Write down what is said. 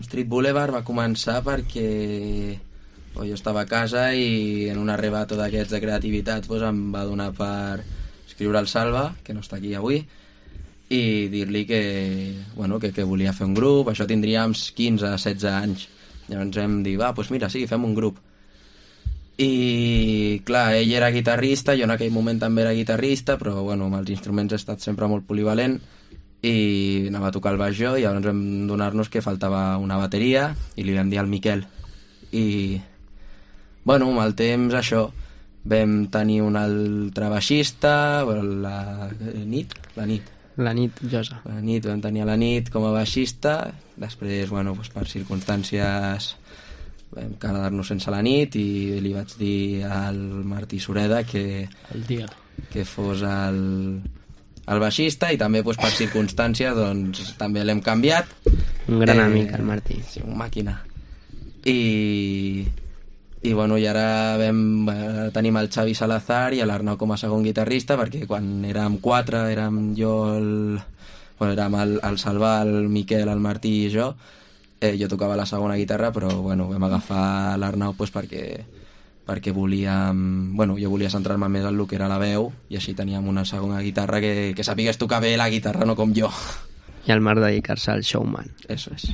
Street Boulevard va començar perquè jo estava a casa i en un arrebato d'aquests de creativitat em va donar per escriure al Salva, que no està aquí avui, i dir-li que volia fer un grup. Això tindríem 15-16 anys. Llavors vam dir, mira, sí, fem un grup. I clar, ell era guitarrista, jo en aquell moment també era guitarrista, però amb els instruments he estat sempre molt polivalent i anava a tocar el baix jo, i llavors vam donar-nos que faltava una bateria i li vam dir al Miquel. I amb el temps això, vam tenir un altre baixista, la Nit Josa. La Nit, vam tenir la Nit com a baixista. Després, per circumstàncies vam quedar-nos sense la Nit i li vaig dir al Martí Sureda que fos el baixista, i també per circumstàncies també l'hem canviat. Un gran amic, el Martí. Sí, un màquina. I ara tenim el Xavi Salazar i l'Arnau com a segon guitarrista, perquè quan érem 4 érem jo érem el Salva, el Miquel, el Martí i jo. Jo tocava la segona guitarra, però vam agafar l'Arnau perquè volíem... jo volia centrar-me més en el que era la veu, i així teníem una segona guitarra que sapigués tocar bé la guitarra, no com jo. I el Marc dedicar-se al showman. Eso es.